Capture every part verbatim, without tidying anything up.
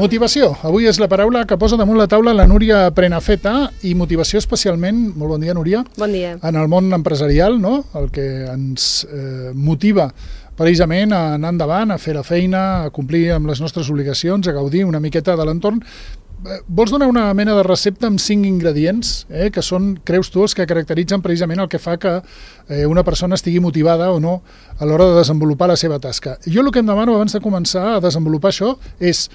Motivació. Avui és la paraula que posa damunt la taula la Núria Prenafeta, i motivació especialment, molt bon dia, Núria, bon dia, en el món empresarial, no? El que ens eh, motiva precisament a anar endavant, a fer la feina, a complir amb les nostres obligacions, a gaudir una miqueta de l'entorn. Vols donar una mena de recepta amb cinc ingredients, eh, que són, creus tu, els que caracteritzen precisament el que fa que eh, una persona estigui motivada o no a l'hora de desenvolupar la seva tasca? Jo el que em demano abans de començar a desenvolupar això és,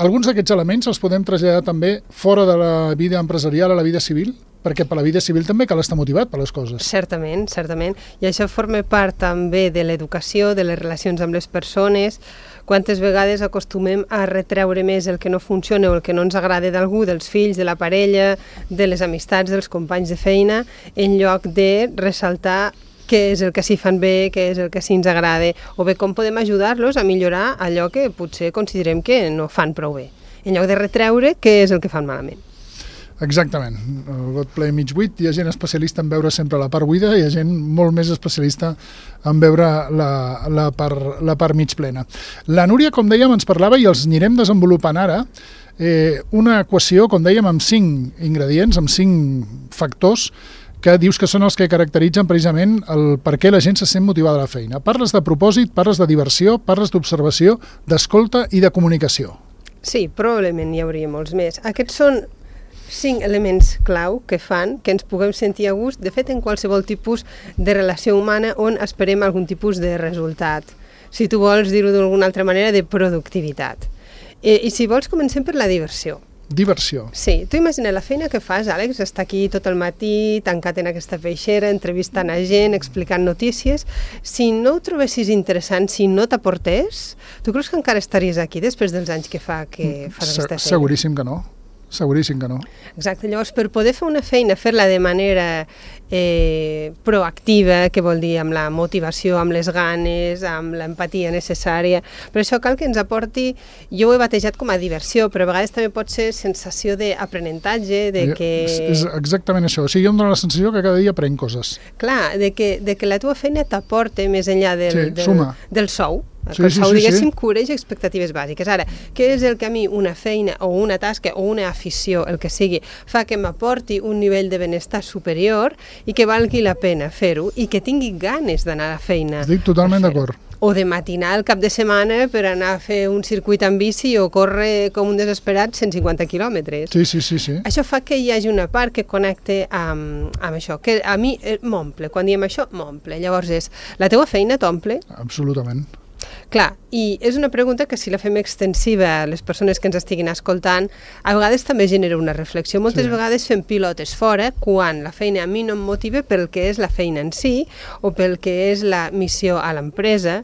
alguns d'aquests elements els podem traslladar també fora de la vida empresarial a la vida civil? Perquè per la vida civil també cal estar motivat per les coses. Certament, certament. I això forma part també de l'educació, de les relacions amb les persones. Quantes vegades acostumem a retreure més el que no funciona o el que no ens agrada d'algú, dels fills, de la parella, de les amistats, dels companys de feina, en lloc de ressaltar què és el que s'hi fan bé, què és el que sí ens agrada, o bé com podem ajudar-los a millorar allò que potser considerem que no fan prou bé, en lloc de retreure què és el que fan malament. Exactament. El got ple mig buit, hi ha gent especialista en veure sempre la part buida, hi ha gent molt més especialista en veure la, la, part, la part mig plena. La Núria, com dèiem, ens parlava, i els anirem desenvolupant ara, eh, una equació, com dèiem, amb cinc ingredients, amb cinc factors, que dius que són els que caracteritzen precisament el per què la gent se sent motivada a la feina. Parles de propòsit, parles de diversió, parles d'observació, d'escolta i de comunicació. Sí, probablement hi hauria molts més. Aquests són cinc elements clau que fan que ens puguem sentir a gust, de fet, en qualsevol tipus de relació humana on esperem algun tipus de resultat. Si tu vols dir-ho d'alguna altra manera, de productivitat. I, i si vols, comencem per la diversió. Diversió. Sí, tu imagina la feina que fas, Àlex, estar aquí tot el matí, tancat en aquesta peixera, entrevistant a gent, explicant notícies. Si no ho trobessis interessant, si no t'aportés, tu creus que encara estaries aquí després dels anys que fa que fas Se aquesta feina? Seguríssim que no. Seguríssim que no. Exacte, llavors per poder fer una feina, fer-la de manera eh, proactiva, que vol dir amb la motivació, amb les ganes, amb l'empatia necessària, per això cal que ens aporti, jo ho he batejat com a diversió, però a vegades també pot ser sensació d'aprenentatge, de que... És, és exactament això, o sigui, jo em dono la sensació que cada dia aprenc coses. Clar, de que, de que la teva feina t'aporta més enllà del, sí, del, del sou, que sí, el sou, sí, sí, diguéssim, sí. cobreix expectatives bàsiques. Ara, què és el que a mi una feina o una tasca o una afició, el que sigui, fa que m'aporti un nivell de benestar superior i que valgui la pena fer-ho i que tingui ganes d'anar a la feina? Estic totalment d'acord. O de matinar el cap de setmana per anar a fer un circuit en bici o córrer com un desesperat cent cinquanta quilòmetres. Sí, sí, sí, sí. Això fa que hi hagi una part que connecte amb, amb això, que a mi m'omple. Quan diem això, m'omple. Llavors és, la teua feina t'omple? Absolutament. Clar, i és una pregunta que si la fem extensiva a les persones que ens estiguin escoltant, a vegades també genera una reflexió. Moltes sí. vegades fem pilotes fora quan la feina a mi no em motiva pel que és la feina en si o pel que és la missió a l'empresa.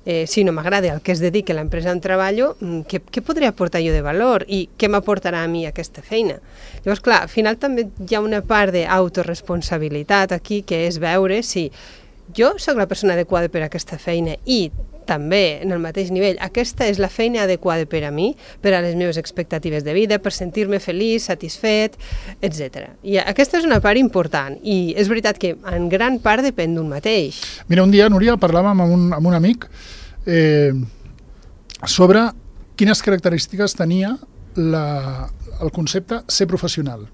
Eh, si no m'agrada el que es dedica a l'empresa on treballo, què, què podré aportar jo de valor i què m'aportarà a mi aquesta feina? Llavors, clar, al final també hi ha una part d'autoresponsabilitat aquí, que és veure si jo sóc la persona adequada per a aquesta feina i també, en el mateix nivell, aquesta és la feina adequada per a mi, per a les meves expectatives de vida, per sentir-me feliç, satisfet, etcètera. I aquesta és una part important, i és veritat que en gran part depèn d'un mateix. Mira, un dia, Núria, parlàvem amb un, amb un amic eh, sobre quines característiques tenia la, el concepte ser professional.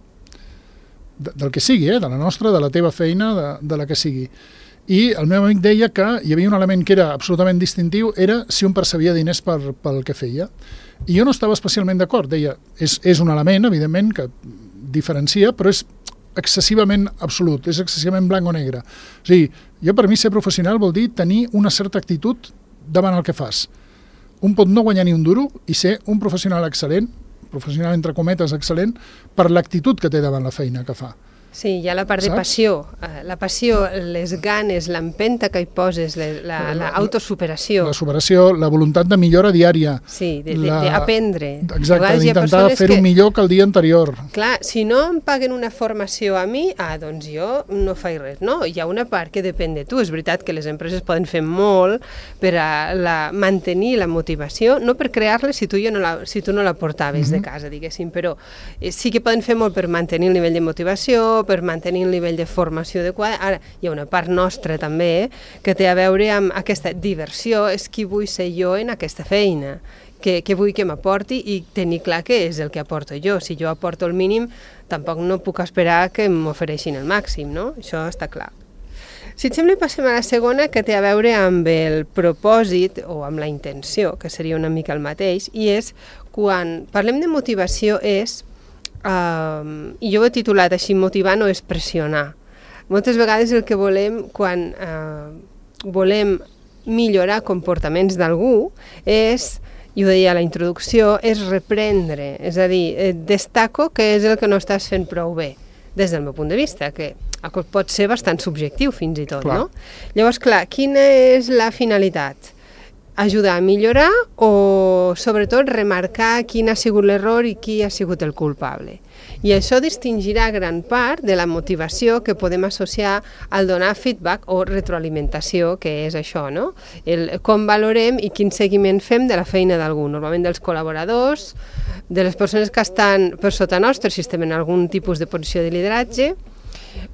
De, del que sigui, eh? De la nostra, de la teva feina, de, de la que sigui. I el meu amic deia que hi havia un element que era absolutament distintiu, era si un percebia diners per, pel que feia. I jo no estava especialment d'acord. Deia, és, és un element, evidentment, que diferencia, però és excessivament absolut, és excessivament blanc o negre. O sigui, jo per mi ser professional vol dir tenir una certa actitud davant el que fas. Un pot no guanyar ni un duro i ser un professional excel·lent, professional entre cometes excel·lent, per l'actitud que té davant la feina que fa. Sí, hi ha la part Saps? de passió. La passió, les ganes, l'empenta que hi poses, l'autosuperació. La superació, la voluntat de millora diària. Sí, d'aprendre. Exacte, d'intentar fer-ho que... millor que el dia anterior. Clar, si no em paguen una formació a mi, ah, doncs jo no faig res. No, hi ha una part que depèn de tu. És veritat que les empreses poden fer molt per a la, mantenir la motivació, no per crear-la si tu, jo no la, si tu no la portaves mm-hmm. de casa, diguéssim, però eh, sí que poden fer molt per mantenir el nivell de motivació, per mantenir el nivell de formació adequada. Ara, hi ha una part nostra també que té a veure amb aquesta diversió, és qui vull ser jo en aquesta feina, què, què vull que m'aporti i tenir clar què és el que aporto jo. Si jo aporto el mínim, tampoc no puc esperar que m'ofereixin el màxim, no? Això està clar. Si et sembla, passem a la segona, que té a veure amb el propòsit o amb la intenció, que seria una mica el mateix, i és quan parlem de motivació és, eh, i jo ho he titulat així, motivar no és pressionar. Moltes vegades el que volem quan eh, volem millorar comportaments d'algú és, i ho deia a la introducció, és reprendre, és a dir, eh, destaco que és el que no estàs fent prou bé, des del meu punt de vista, que pot ser bastant subjectiu fins i tot, clar. No? Llavors, clar, quina és la finalitat? Ajudar a millorar o, sobretot, remarcar quin ha sigut l'error i qui ha sigut el culpable. I això distingirà gran part de la motivació que podem associar al donar feedback o retroalimentació, que és això, no? El, com valorem i quin seguiment fem de la feina d'algú, normalment dels col·laboradors, de les persones que estan per sota nostre, si estem en algun tipus de posició de lideratge,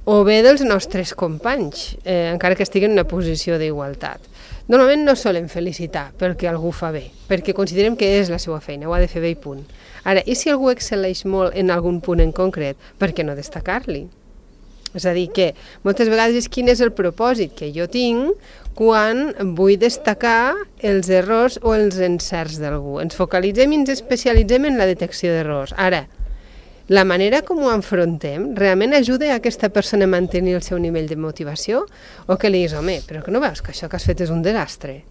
o bé dels nostres companys, eh, encara que estiguen en una posició d'igualtat. Normalment no solem felicitar perquè algú fa bé, perquè considerem que és la seva feina, ho ha de fer bé i punt. Ara, i si algú excel·leix molt en algun punt en concret, per què no destacar-li? És a dir, que moltes vegades és quin és el propòsit que jo tinc quan vull destacar els errors o els encerts d'algú. Ens focalitzem i ens especialitzem en la detecció d'errors. Ara, la manera com ho enfrontem realment ajuda a aquesta persona a mantenir el seu nivell de motivació o que li diguis, home, però que no veus que això que has fet és un desastre?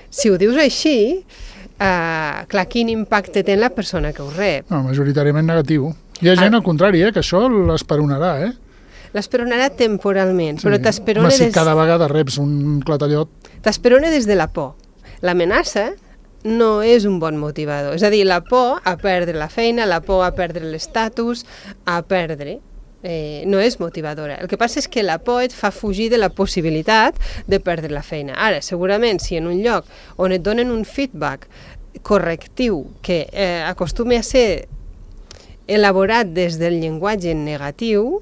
Si ho dius així, eh, clar, quin impacte té en la persona que ho rep? No, majoritàriament negatiu. Hi ha gent ah. al contrari, eh, que això l'esperonarà, eh? L'esperonarà temporalment, sí. Però t'esperona des... des... cada vegada reps un clatallot... T'esperona des de la por. L'amenaça no és un bon motivador. És a dir, la por a perdre la feina, la por a perdre l'estatus, a perdre, eh, no és motivadora. El que passa és que la por et fa fugir de la possibilitat de perdre la feina. Ara, segurament, si en un lloc on et donen un feedback correctiu que eh, acostumi a ser elaborat des del llenguatge negatiu,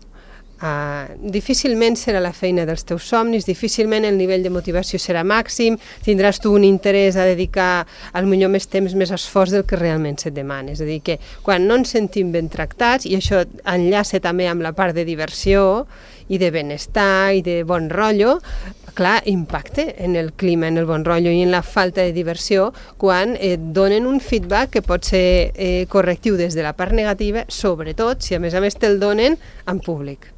Uh, difícilment serà la feina dels teus somnis, difícilment el nivell de motivació serà màxim, tindràs tu un interès a dedicar al millor més temps, més esforç del que realment se't demana. És a dir, que quan no ens sentim ben tractats, i això enllaça també amb la part de diversió i de benestar i de bon rotllo, clar, impacte en el clima, en el bon rotllo i en la falta de diversió quan et donen un feedback que pot ser eh, correctiu des de la part negativa, sobretot si a més a més te'l donen en públic.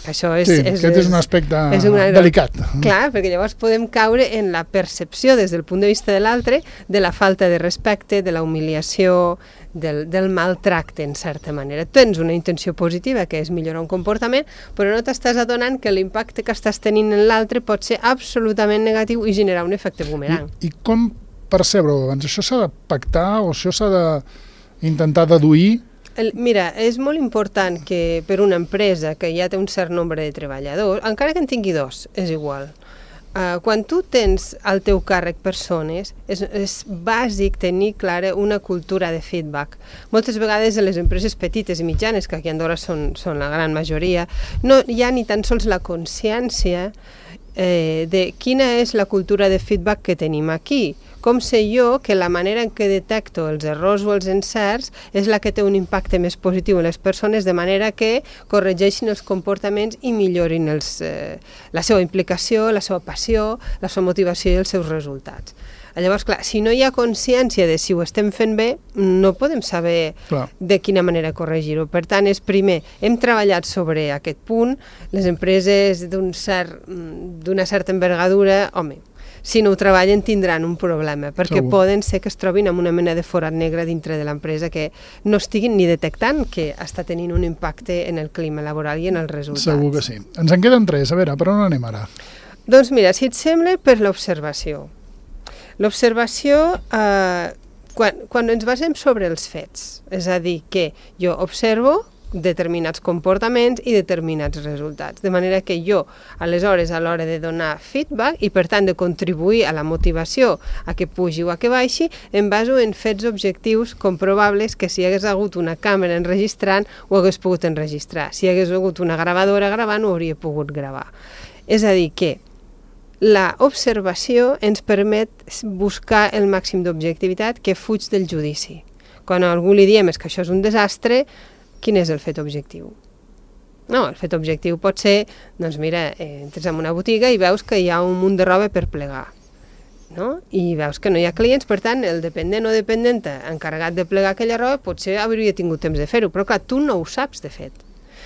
Això és, sí, és, aquest és un aspecte és una, delicat. Clar, perquè llavors podem caure en la percepció des del punt de vista de l'altre de la falta de respecte, de la humiliació, del, del maltracte, en certa manera. Tens una intenció positiva, que és millorar un comportament, però no t'estàs adonant que l'impacte que estàs tenint en l'altre pot ser absolutament negatiu i generar un efecte boomerang. I, i com percebre-ho abans? Això s'ha de pactar o això s'ha d'intentar deduir? El, mira, és molt important que per una empresa que ja té un cert nombre de treballadors, encara que en tingui dos, és igual, uh, quan tu tens al teu càrrec persones, és, és bàsic tenir clara una cultura de feedback. Moltes vegades a les empreses petites i mitjanes, que aquí a Andorra són, són la gran majoria, no hi ha ni tan sols la consciència eh, de quina és la cultura de feedback que tenim aquí. Com sé jo que la manera en què detecto els errors o els encerts és la que té un impacte més positiu en les persones, de manera que corregeixin els comportaments i millorin els, eh, la seva implicació, la seva passió, la seva motivació i els seus resultats. Llavors, clar, si no hi ha consciència de si ho estem fent bé, no podem saber clar. De quina manera corregir-ho. Per tant, és primer, hem treballat sobre aquest punt, les empreses d'un cert, d'una certa envergadura, home, si no ho treballen tindran un problema, perquè Segur. Poden ser que es trobin amb una mena de forat negre dintre de l'empresa que no estiguin ni detectant que està tenint un impacte en el clima laboral i en els resultats. Segur que sí. Ens en queden tres. A veure, per on anem ara? Doncs mira, si et sembla, per l'observació. L'observació, eh, quan, quan ens basem sobre els fets, és a dir, que jo observo determinats comportaments i determinats resultats. De manera que jo, aleshores, a l'hora de donar feedback i, per tant, de contribuir a la motivació a que pugi o a que baixi, em baso en fets objectius comprovables que si hi hagués hagut una càmera enregistrant, ho hagués pogut enregistrar. Si hi hagués hagut una gravadora gravant, ho hauria pogut gravar. És a dir, que l'observació ens permet buscar el màxim d'objectivitat que fuig del judici. Quan a algú li diem és que això és un desastre, quin és el fet objectiu? No, el fet objectiu pot ser, doncs mira, eh, entres en una botiga i veus que hi ha un munt de roba per plegar, no? I veus que no hi ha clients, per tant, el dependent o dependenta encarregat de plegar aquella roba potser hauria tingut temps de fer-ho, però clar, tu no ho saps, de fet.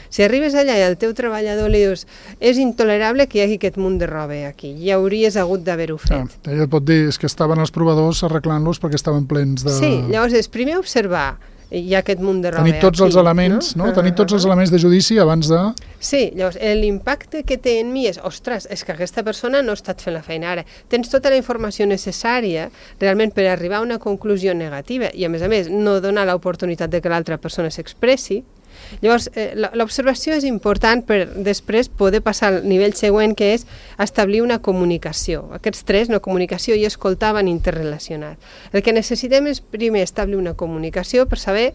Si arribes allà i al teu treballador li dius és intolerable que hi hagi aquest munt de roba aquí, ja hauries hagut d'haver-ho fet. Ah, ella et pot dir és que estaven els provadors arreglant-los perquè estaven plens de... Sí, llavors és primer observar hi ha aquest munt de roba tenir tots aquí, els elements, no? no? Tenir tots els elements de judici abans de... Sí, llavors l'impacte que té en mi és, ostres, és que aquesta persona no ha estat fent la feina ara. Tens tota la informació necessària realment per arribar a una conclusió negativa i a més a més no donar l'oportunitat de que l'altra persona s'expressi. Llavors, eh, l'observació és important per després poder passar al nivell següent, que és establir una comunicació. Aquests tres, no, comunicació i escoltar, van interrelacionats. El que necessitem és primer establir una comunicació per saber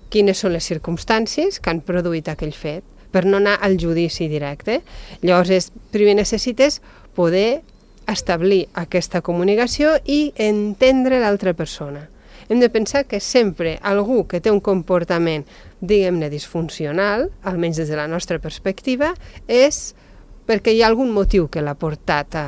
quines són les circumstàncies que han produït aquell fet, per no anar al judici directe. Llavors, és, primer necessites poder establir aquesta comunicació i entendre l'altra persona. Hem de pensar que sempre algú que té un comportament, diguem-ne, disfuncional, almenys des de la nostra perspectiva, és perquè hi ha algun motiu que l'ha portat a,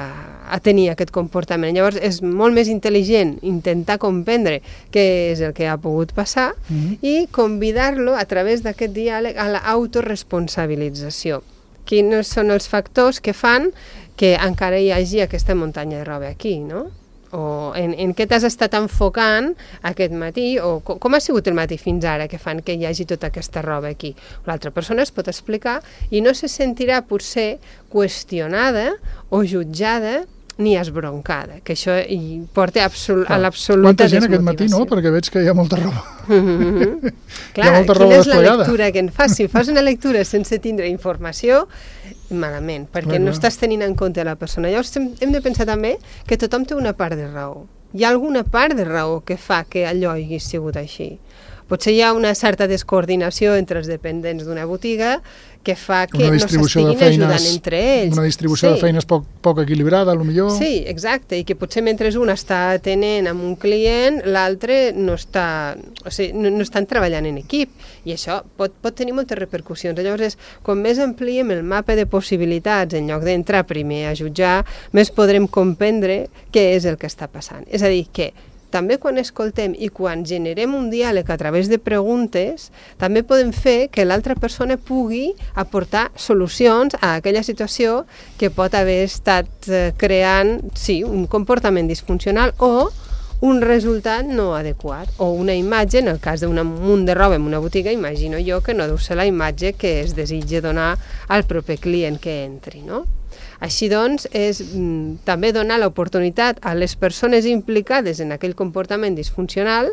a tenir aquest comportament. Llavors és molt més intel·ligent intentar comprendre què és el que ha pogut passar mm-hmm. i convidar-lo a través d'aquest diàleg a l'autoresponsabilització. Quins són els factors que fan que encara hi hagi aquesta muntanya de roba aquí, no? O en, en què t'has estat enfocant aquest matí, o com, com ha sigut el matí fins ara que fan que hi hagi tota aquesta roba aquí. L'altra persona es pot explicar i no se sentirà potser qüestionada o jutjada ni esbroncada, que això hi porta absol a l'absoluta desmotivació. Quanta gent aquest matí, no? Perquè veig que hi ha molta roba. Mm-hmm. Clar, hi ha molta quina roba és la desplegada. lectura que en fas? Si fas una lectura sense tindre informació, malament, perquè clar, no clar. Estàs tenint en compte la persona. Llavors hem, hem de pensar també que tothom té una part de raó. Hi ha alguna part de raó que fa que allò hagi sigut així. Potser hi ha una certa descoordinació entre els dependents d'una botiga que fa que no s'estiguin ajudant entre ells. Una distribució sí. de feines poc, poc equilibrada, potser. Sí, exacte, i que potser mentre un està atenent amb un client, l'altre no està, o sigui, no, no estan treballant en equip, i això pot, pot tenir moltes repercussions. Llavors, és, quan més ampliem el mapa de possibilitats, en lloc d'entrar primer a jutjar, més podrem comprendre què és el que està passant. És a dir, que també quan escoltem i quan generem un diàleg a través de preguntes, també podem fer que l'altra persona pugui aportar solucions a aquella situació que pot haver estat eh, creant, sí, un comportament disfuncional o un resultat no adequat, o una imatge, en el cas d'un munt de roba en una botiga, imagino jo que no deu ser la imatge que es desitja donar al proper client que entri, no? Així doncs, és mm, també donar l'oportunitat a les persones implicades en aquell comportament disfuncional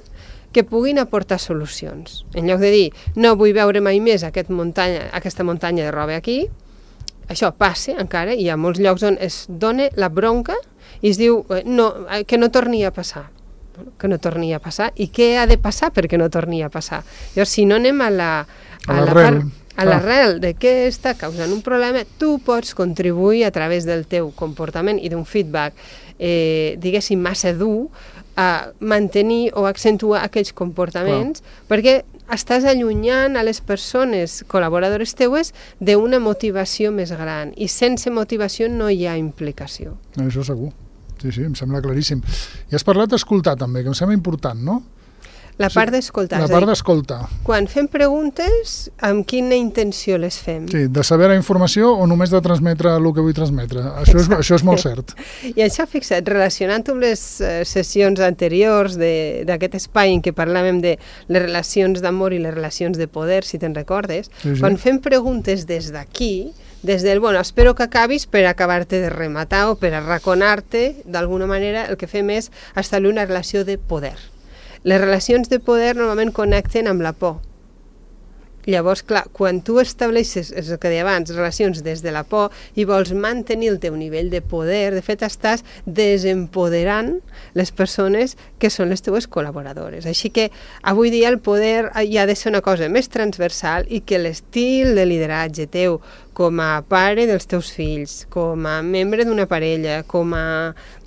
que puguin aportar solucions. En lloc de dir, no vull veure mai més aquest muntanya, aquesta muntanya de roba aquí, això passa encara, i hi ha molts llocs on es dona la bronca i es diu eh, no, que no torni a passar. Que no torni a passar. I què ha de passar perquè no torni a passar? Llavors, si no anem a la, a la part... A l'arrel de què està causant un problema, tu pots contribuir a través del teu comportament i d'un feedback, eh, diguéssim, massa dur, a mantenir o accentuar aquells comportaments, clar, perquè estàs allunyant a les persones col·laboradores teues d'una motivació més gran, i sense motivació no hi ha implicació. Això segur. Sí, sí, em sembla claríssim. I has parlat d'escoltar també, que em sembla important, no? La part d'escoltar. La part d'escoltar. Quan fem preguntes, amb quina intenció les fem? Sí, de saber la informació o només de transmetre el que vull transmetre. Això és, això és molt cert. I això, fixa't, relacionant-ho amb les uh, sessions anteriors d'aquest espai en què parlàvem de les relacions d'amor i les relacions de poder, si te'n recordes, sí, sí. Quan fem preguntes des d'aquí, des del, bueno, espero que acabis per acabar-te de rematar o per arraconar-te, d'alguna manera el que fem és establir una relació de poder. Les relacions de poder normalment connecten amb la por. Llavors, clar, quan tu estableixes, és el que deia abans, relacions des de la por i vols mantenir el teu nivell de poder, de fet estàs desempoderant les persones que són les teues col·laboradores. Així que avui dia el poder hi ha de ser una cosa més transversal i que l'estil de lideratge teu com a pare dels teus fills, com a membre d'una parella, com a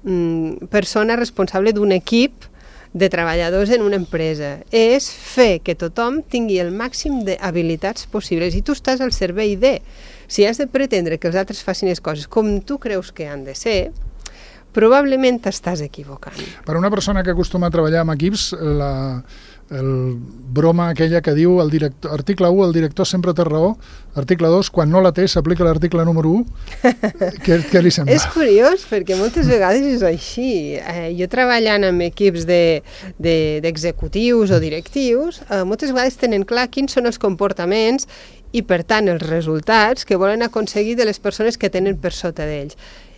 mm, persona responsable d'un equip de treballadors en una empresa, és fer que tothom tingui el màxim d'habilitats possibles i tu estàs al servei de. Si has de pretendre que els altres facin les coses com tu creus que han de ser, probablement t'estàs equivocant. Per una persona que acostuma a treballar amb equips, la, el broma aquella que diu el director, article u, el director sempre té raó, article dos, quan no la té s'aplica l'article número u, què, què li sembla? És curiós perquè moltes vegades és així. Eh, jo treballant amb equips de, de, d'executius o directius, eh, moltes vegades tenen clar quins són els comportaments i per tant els resultats que volen aconseguir de les persones que tenen per sota d'ells.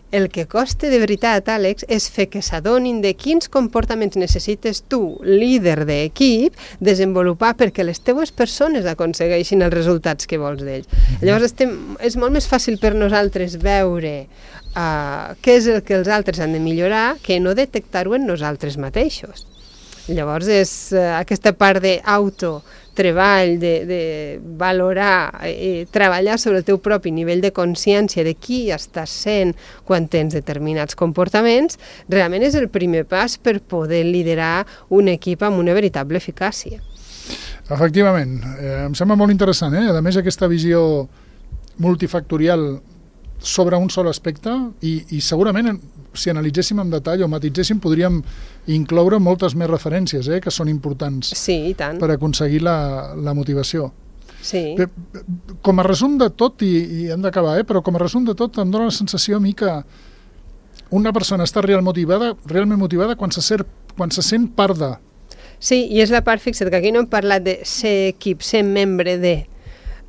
El que costa de veritat, Àlex, és fer que s'adonin de quins comportaments necessites tu, líder d'equip, desenvolupar perquè les teues persones aconsegueixin els resultats que vols d'ells. Llavors estem, és molt més fàcil per nosaltres veure uh, què és el que els altres han de millorar que no detectar-ho en nosaltres mateixos. Llavors és uh, aquesta part d'auto treball, de, de valorar i treballar sobre el teu propi nivell de consciència de qui estàs sent quan tens determinats comportaments, realment és el primer pas per poder liderar un equip amb una veritable eficàcia. Efectivament, eh, em sembla molt interessant, eh? A més aquesta visió multifactorial sobre un sol aspecte i, i segurament si analitzéssim en detall o matitzéssim podríem incloure moltes més referències eh, que són importants sí, i tant. Per aconseguir la, la motivació. Sí. Bé, com a resum de tot, i, i hem d'acabar, eh, però com a resum de tot em dóna la sensació a mi que una persona està real motivada, realment motivada quan se, ser, quan se sent part de. Sí, i és la part, fixa't, que aquí no hem parlat de ser equip, ser membre de,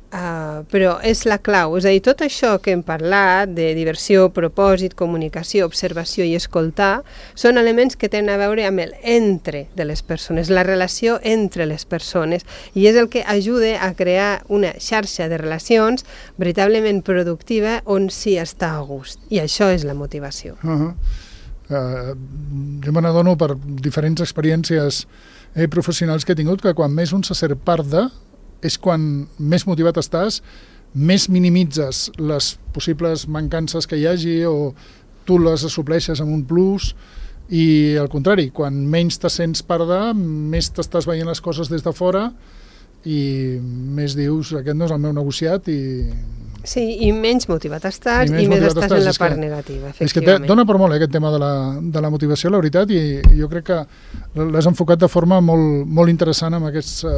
Uh, però és la clau, és a dir, tot això que hem parlat de diversió, propòsit, comunicació, observació i escoltar són elements que tenen a veure amb el entre de les persones, la relació entre les persones, i és el que ajuda a crear una xarxa de relacions veritablement productiva on s'hi està a gust, i això és la motivació. Uh-huh. uh, jo me n'adono per diferents experiències eh, professionals que he tingut que quan més un se sent part de és quan més motivat estàs, més minimitzes les possibles mancances que hi hagi o tu les assupleixes amb un plus i al contrari, quan menys te sents part de, més t'estàs veient les coses des de fora i més dius, aquest no és el meu negociat i... Sí, i menys motivat estàs i, i més estàs, estàs en la part que, negativa, efectivament. És que te, dona per molt eh, aquest tema de la, de la motivació, la veritat, i jo crec que l'has enfocat de forma molt, molt interessant amb aquests uh,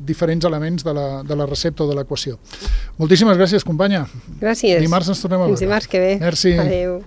diferents elements de la, de la recepta o de l'equació. Moltíssimes gràcies, companya. Gràcies. Dimarts ens tornem a veure. Fins dimarts que ve. Merci. Adéu.